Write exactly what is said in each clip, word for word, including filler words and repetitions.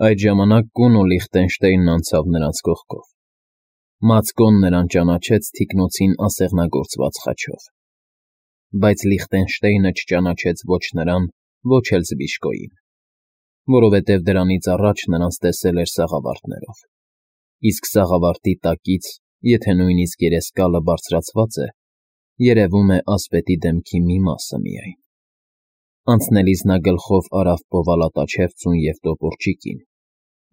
Այդ ժամանակ կուն ու Լիխտենշտեյնն անցավ նրանց կողքով։ Մացկոն նրան ճանաչեց թիկնոցին ասեղնագործված խաչով, բայց Լիխտենշտեյնը չճանաչեց ոչ նրան, ոչ էլ Զբիշկոյին, որովհետև դրանից առաջ նրանց տեսել էր սաղավարտներով, իսկ սաղավարտի տակից, եթե նույնիսկ երեսկալը բարձրացված է, երևում է ասպետի դեմքի մի մասը միայն։ Անցնելիս նա գլխով արավ պովալատաչևծուն և տոպորճիկին,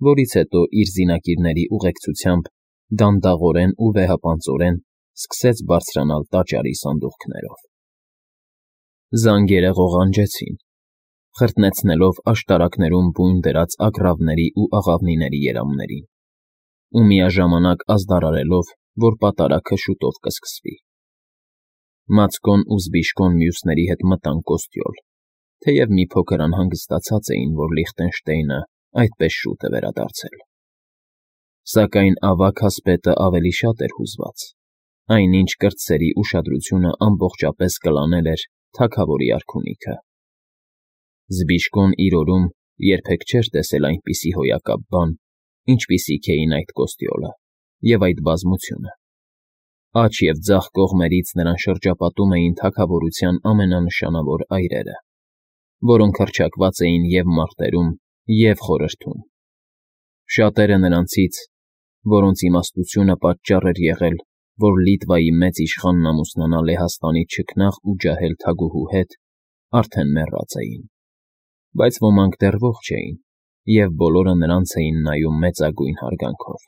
որից հետո իր զինակիրների ուղեկցությամբ դանդաղորեն ու վեհապանծորեն սկսեց բարձրանալ տաճարի սանդուղքներով։ Զանգերը ղողանջեցին, խրտնեցնելով աշտարակներում բույն դրած ագռավների ու աղավնիների երամներին, ու միաժամանակ ազդարարելով, որ պատարագը շուտով կսկսվի։ Մացկոն ու Զբիշկոն մյուսների հետ մտան կոստյոլ, թեև մի փոքր անհանգստացած էին, որ Լիխտենշտեյնը այդպես շուտ է վերադարձել։ Սակայն ավագ ասպետը ավելի շատ էր հուզված, այնինչ կրտսերի ուշադրությունը ամբողջապես կլանել էր թագավորի արքունիքը։ Զբիշկոն իր օրում երբեք չէր տեսել այնպիսի հոյակապ բան, ինչպիսիք էին այդ կոստյոլը և այդ բազմությունը։ Աջ և ձախ կողմերից նրան շրջապատում էին թագավորության ամենանշանավոր այրերը, որոնք հռչակված էին և մարտերում, և խորհրդում։ Շատերը նրանցից, որոնց իմաստությունը պատճառ էր եղել, որ Լիտվայի մեծ իշխանն ամուսնանա Լեհաստանի չքնաղ ու ջահել թագուհու հետ, արդեն մեռած էին, բայց ոմանք դեռ ողջ էին, և բոլորը նրանց էին նայում մեծագույն հարգանքով։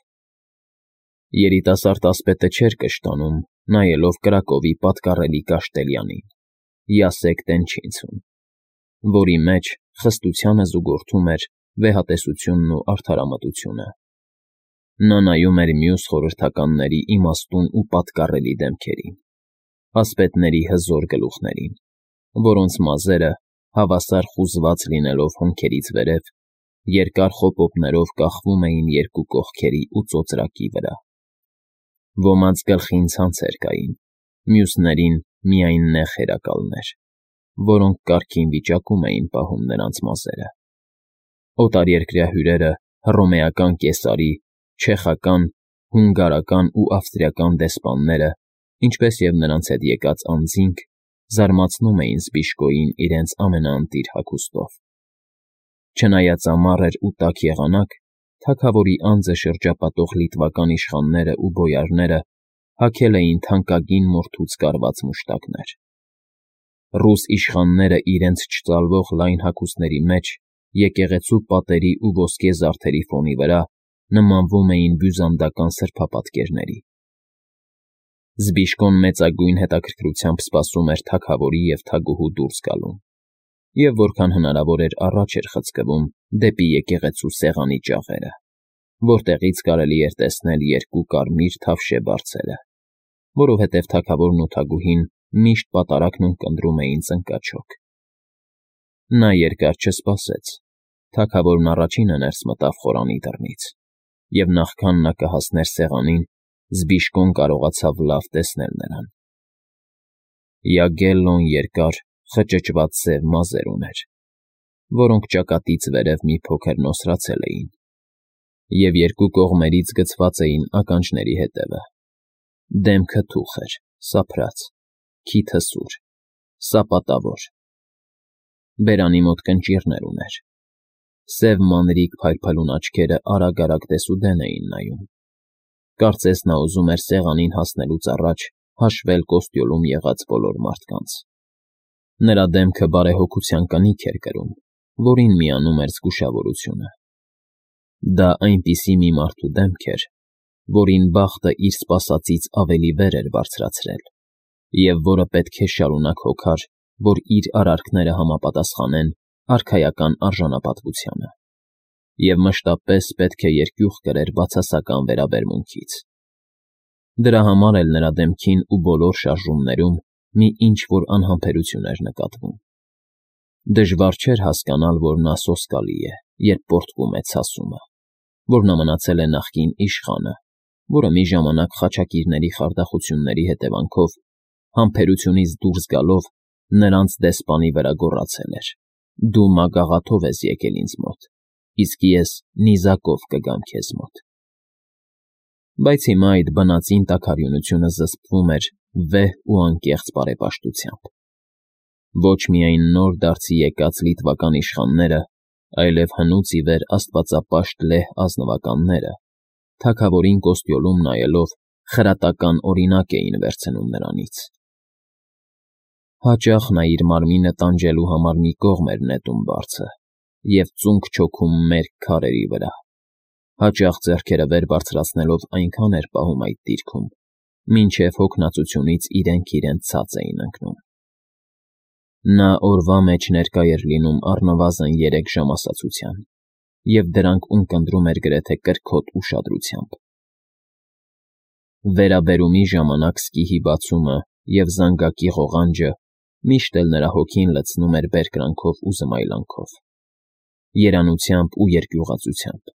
Երիտասարդ ասպետը չէր կշտանում, նայելով Կրակովի պատկառելի Կաշտելյանին, Յասեկ Տենչինցուն, որի մեջ խստությանը զուգորդում էր վեհատեսությունն ու արդարամտությունը։ Նա նայում էր մյուս խորհրդականների իմաստուն ու պատկառելի դեմքերին, ասպետների հզոր գլուխներին, որոնց մազերը, հավասար խուզված լինելով հոնքերից վերև, երկար խոպոպներով կախվում էին երկու կողքերի ու ծոծրակի վրա։ Ոմանց գլխին ցանցեր կային, մյուսներին միայն նեղ հերակալներ, որոնք կարգին վիճակում էին պահում նրանց մազերը։ Օտարերկրյա հյուրերը հռոմեական կեսարի, չեխական, հունգարական ու ավստրիական դեսպանները, ինչպես և նրանց հետ եկած անձինք, զարմացնում էին Զբիշկոյին իրենց ամենաընտիր հագուստով։ Չնայած ամառ էր ու տաք եղանակ, թագավորի անձը շրջապատող լիտվական իշխաններն ու բոյարները հագել էին թանկագին մորթուց կարված մուշտակներ։ Ռուս իշխանները իրենց չծալվող լայն հագուստների մեջ եկեղեցու պատերի ու ոսկե զարդերի ֆոնի վրա նմանվում էին բյուզանդական սրբապատկերների։ Զբիշկոն մեծագույն հետաքրքրությամբ սպասում էր թագավորի և թագուհու դուրս գալուն, և որքան հնարավոր էր առաջ էր խցկվում դեպի եկեղեցու սեղանի ճաղերը, որտեղից կարելի էր տեսնել երկու կարմիր թավշե բարձերը, որովհետև թագավորն ու թագուհին միշտ պատարագն ունկնդրում էին ծնկաչոք։ Նա երկար չսպասեց, թագավորն առաջինը ներս մտավ խորանի դռնից, և նախքան նա կհասներ սեղանին, Զբիշկոն կարողացավ լավ տեսնել նրան։ Յագելլոն երկար, խճճված սև մազեր ուներ, որոնք ճակատից վերև մի փոքր նոսրացել էին, և երկու կողմերից գցված էին ականջների ետևը։ Դեմքը թուխ էր, սափրած, քիթը սուր, սապատավոր։ Բերանի մոտ կնճիռներ ուներ։ Սև մանրիկ փայլփլուն աչքերը արագ-արագ դեսուդեն էին նայում։ Կարծես նա ուզում էր սեղանին հասնելուց առաջ հաշվել կոստյոլում եղած բոլոր մարդկանց։ Նրա դեմքը բարեհոգության կնիք էր կրում, որին միանում էր զգուշավորությունը։ Դա այնպիսի մի մարդու դեմք էր, որին բախտը իր սպասածից ավելի վեր էր բարձրացրել, և որը պետք է շարունակ հոգար, որ իր արարքները համապատասխանեն արքայական արժանապատվությանը, և մշտապես պետք է երկյուղ կրեր բացասական վերաբերմունքից։ Դրա համար էլ նրա դեմքին ու բոլոր շարժումներում մի ինչ֊որ անհամբերություն էր նկատվում։ Դժվար չէր հասկանալ, որ նա սոսկալի է, երբ պոռթկում է ցասումը, որ նա մնացել է նախկին իշխանը, որը մի ժամանակ խաչակիրների խարդախությունների հետևանքով, համբերությունից դուրս գալով, նրանց դեսպանի վրա գոռացել էր. «Դու մագաղաթով ես եկել ինձ մոտ, իսկ ես նիզակով կգամ քեզ մոտ։ Բայց հիմա այդ բնածին տաքարյունությունը զսպվում էր վեհ ու անկեղծ բարեպաշտությամբ։ Ոչ միայն նոր դարձի եկած լիտվական իշխանները, այլև հնուց ի վեր աստվածապաշտ լեհ ազնվականները, թագավորին կոստյոլում նայելով, խրատական օրինակ էին վերցնում նրանից։ Հաճախ նա իր մարմինը տանջելու համար մի կողմ էր նետում բարձը և ծունկ չոքում մերկ քարերի վրա, հաճախ ձեռքերը վեր բարձրացնելով այնքան էր պահում այդ դիրքում, մինչև հոգնածությունից իրենք իրենց ցած էին ընկնում։ Նա օրվա մեջ ներկա էր լինում առնվազն երեք ժամասացության, և դրանք ունկնդրում էր գրեթե կրքոտ ուշադրությամբ։ Վերաբերումի ժամանակ սկիհի բացումը և զանգակի ղողանջը միշտ էլ նրա հոգին լցնում էր բերկրանքով ու զմայլանքով, երանությամբ ու երկյուղածությամբ։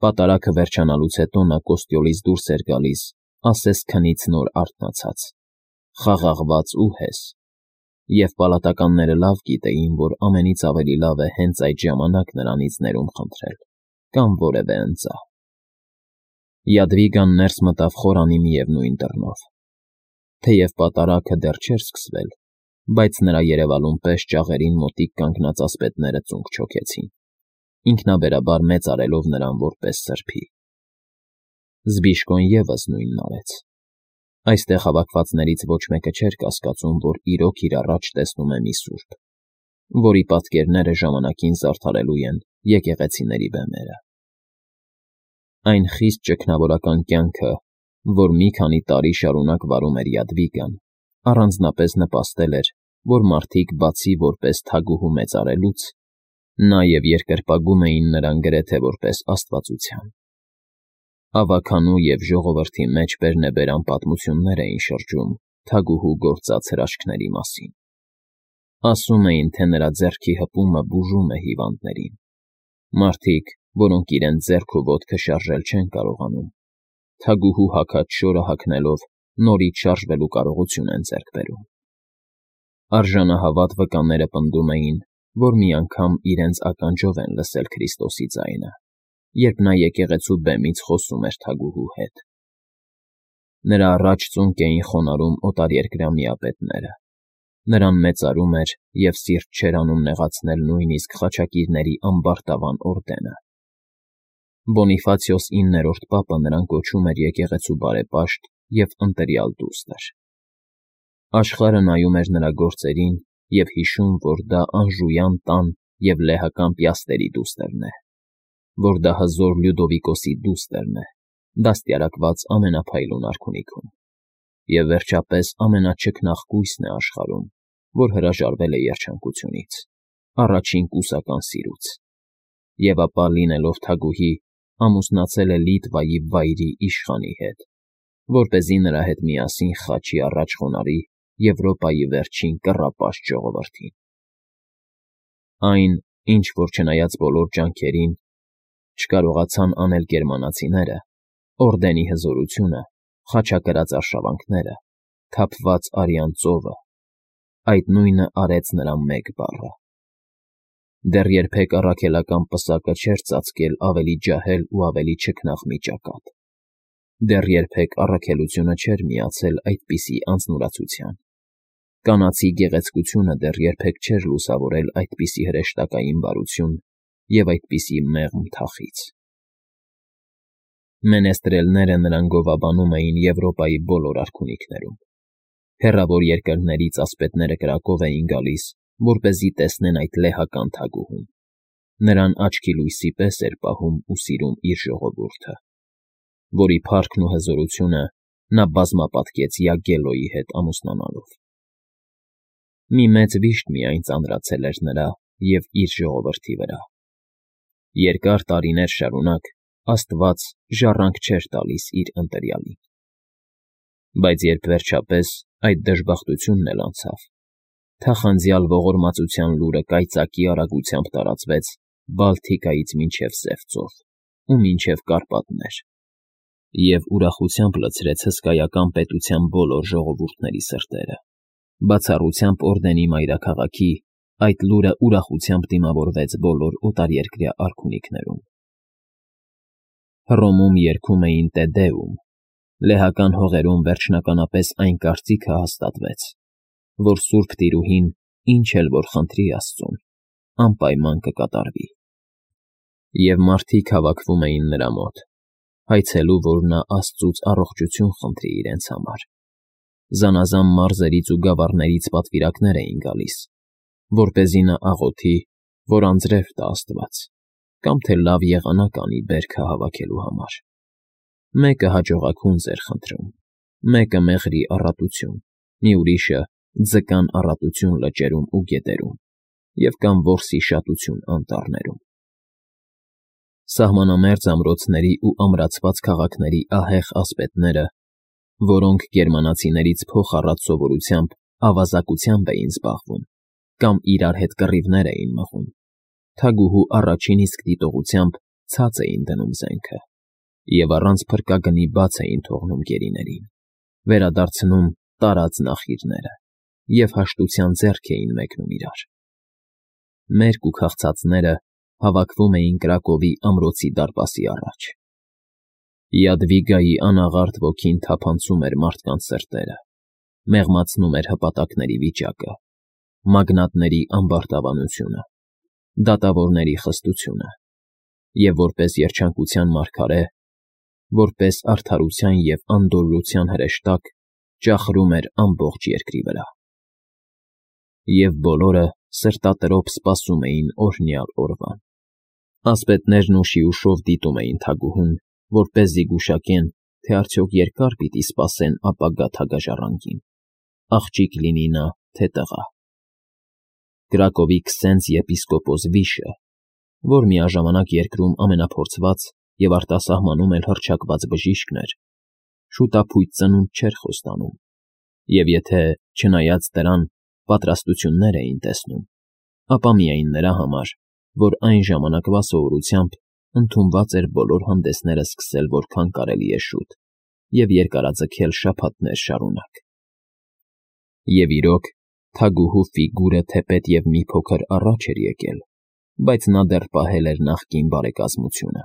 Պատարագը վերջանալուց հետո նա կոստյոլից դուրս էր գալիս ասես քնից նոր արթնացած, խաղաղված ու հես, և պալատականները լավ գիտեին, որ ամենից ավելի լավ է հենց այդ ժամանակ նրանից ներում խնդրել կամ որևէ ընծա։ Յադվիգան ներս մտավ խորանի միևնույն դռնով։ Թեև պատարագը դեռ չէր սկսվել, բայց նրա երևալուն պես ճաղերին մոտիկ կանգնած ասպետները ծունկ չոքեցին, ինքնաբերաբար մեծարելով նրան որպես սրբի։ Զբիշկոն ևս նույնն արեց։ Այստեղ հավաքվածներից ոչ մեկը չէր կասկածում, որ իրոք իր առաջ տեսնում է մի սուրբ, որի պատկերները ժամանակին զարդարելու են եկեղեցիների բեմերը։ Այն խիստ ճգնավորական կյանքը, որ մի քանի տարի շարունակ վարում էր Յադվիգան, առանձնապես նպաստել էր, որ մարդիկ բացի որպես թագուհու մեծարելուց, նաև երկրպագում էին նրան գրեթե որպես աստվածության։ Ավագանու և ժողովրդի մեջ բերնեբերան պատմություններ էին շրջում թագուհու գործած հրաշքների մասին։ Ասում էին, թե նրա ձեռքի հպումը բուժում է հիվանդներին։ Մարդիկ, որոնք իրենց ձեռք ու ոտքը շարժել չեն կարողանում, թագուհու հագած շորը հագնելով նորից շարժվելու կարողություն են ձեռք բերում։ Արժանահավատ վկաները պնդում էին, որ մի անգամ իրենց ականջով են լսել Քրիստոսի ձայնը, երբ նա եկեղեցու բեմից խոսում էր թագուհու հետ։ Նրա առաջ ծունկ էին խոնարհում օտարերկրյա միապետները, նրան մեծարում էր և սիրտ չէր անում նեղացնել նույնիսկ խաչակիրների ամբարտավան օրդենը։ Բոնիֆացիոս իններորդ պապը նրան կոչում էր եկեղեցու բարեպաշտ և ընտրյալ դուստր։ Աշխարհը նայում էր նրա գործերին և հիշում, որ դա անժույան տան և լեհական Պիաստերի դուստրն է, որ դա հզոր Լյուդովիկոսի դուստրն է, դաստիարակված ամենափայլուն արքունիքում, և վերջապես ամենաչքնաղ կույսն է աշխարհում, որ հրաժարվել է երջանկությունից, առաջին կուսական սիրուց, և ապա լինելով թագուհի, ամուսնացել է Լիտվայի վայրի իշխանի հետ, որպեսզի նրա հետ միասին խաչի առաջ խոնարհի Եվրոպայի վերջին կռապաշտ ժողովրդին։ Այն, ինչ որ չնայած բոլոր ջանքերին, չկարողացան անել գերմանացիները, օրդենի հզորությունը, խաչակրած արշավանքները, թափված արյան ծովը, այդ նույնը արեց նրա մեկ բառը։ Դեռ երբեք առաքելական պսակը չէր ծածկել ավելի ջահել ու ավելի չքնաղ մի ճակատ։ Դեռ երբեք առաքելությունը չէր միացել այդպիսի անձնուրացության։ Կանացի գեղեցկությունը դեռ երբեք չէր լուսավորել այդպիսի հրեշտակային բարություն և այդպիսի մեղմ թախիծ։ Մենեստրելները նրան գովաբանում էին Եվրոպայի բոլոր արքունիքներում։ Հեռավոր երկրներից ասպետները կրակով էին գալիս, որպեսզի տեսնեն այդ լեհական թագուհուն։ Նրան աչքի լույսի պես էր պահում ու սիրում իր ժողովուրդը, որի փառքն ու հզորությունը նա բազմապատկեց Յագելոյի հետ ամուսնանալով։ Մի մեծ վիշտ միայն ծանրացել էր նրա և իր ժողովրդի վրա։ Երկար տարիներ շարունակ Աստված ժառանգ չէր տալիս իր ընտրյալին։ Բայց երբ վերջապես այդ դժբախտությունն էլ անցավ, թախանձյալ ողորմածության լուրը կայծակի արագությամբ տարածվեց Բալթիկայից մինչև Սև ծով ու մինչև Կարպատներ և ուրախությամբ լցրեց հսկայական պետության բոլոր ժողովուրդների սրտերը, բացառությամբ օրդենի մայրաքաղաքի, այդ լուրը ուրախությամբ դիմավորվեց բոլոր օտարերկրյա արքունիքներում։ Հռոմում երգում էին «Տե Դեում», լեհական հողերում վերջնականապես այն կարծիքը հաստատվեց, որ Սուրբ Տիրուհին, ինչ էլ որ խնդրի աստծուն, անպայման կկատարվի։ Եվ մարդիկ հավաքվում էին նրա մոտ, հայցելու, որ նա աստծուց առողջություն խնդրի իրենց համար։ Զանազան մարզերից ու գավառներից պատվիրակներ էին գալիս, որպեսզի նա աղոթի, որ անձրև տա Աստված, կամ թե լավ եղանակ անի բերքը հավաքելու համար։ Մեկը հաջողակունձ էր խնդրում, մեկը մեղրի առատություն, մի ուրիշը ձկան առատություն լճերում ու գետերում, և կամ որսի շատություն անտառներում։ Սահմանամերձ ամրոցների ու ամրացված քաղաքների ահեղ ասպետները, որոնք գերմանացիներից փոխառած սովորությամբ ավազակությամբ էին զբաղվում կամ իրար հետ կռիվներ էին մղում, թագուհու առաջին իսկ դիտողությամբ ցած էին դնում զենքը և առանց փրկագնի բաց էին թողնում գերիներին, վերադարձնում տարած նախիրները և հաշտության ձեռք էին մեկնում իրար։ Մերկ ու քաղցածները հավաքվում էին Կրակովի ամրոցի դարպասի առաջ։ Յադվիգայի անաղարտ ոգին թափանցում էր մարդկանց սրտերը, մեղմացնում էր հպատակների վիճակը, մագնատների ամբարտավանությունը, դատավորների խստությունը, և որպես երջանկության մարգարե, որպես արդարության և անդորրության հրեշտակ ճախրում էր ամբողջ երկրի վրա։ Եվ բոլորը սրտատրոփ սպասում էին օրհնյալ օրվան։ Ասպետներն ուշի ուշով դիտում էին թագուհուն, որպեսզի գուշակեն, թե արդյոք երկա՞ր պիտի սպասեն ապագա թագաժառանգին, աղջիկ լինի նա, թե տղա։ Կրակովի քսենձ եպիսկոպոս Վիշը, որ միաժամանակ երկրում ամենափորձված և արտասահմանում էլ հռչակված բժիշկն էր, շուտափույթ ծնունդ չէր խոստանում, և եթե, չնայած դրան, պատրաստություններ էին տեսնում, ապա միայն նրա համար, որ այն ժամանակվա սովորությամբ ընդունված էր բոլոր հանդեսները սկսել որքան կարելի է շուտ և երկարաձգել շաբաթներ շարունակ։ Եվ իրոք, թագուհու ֆիգուրը թեպետ և մի փոքր առաջ էր եկել, բայց նա դեռ պահել էր նախկին բարեկազմությունը։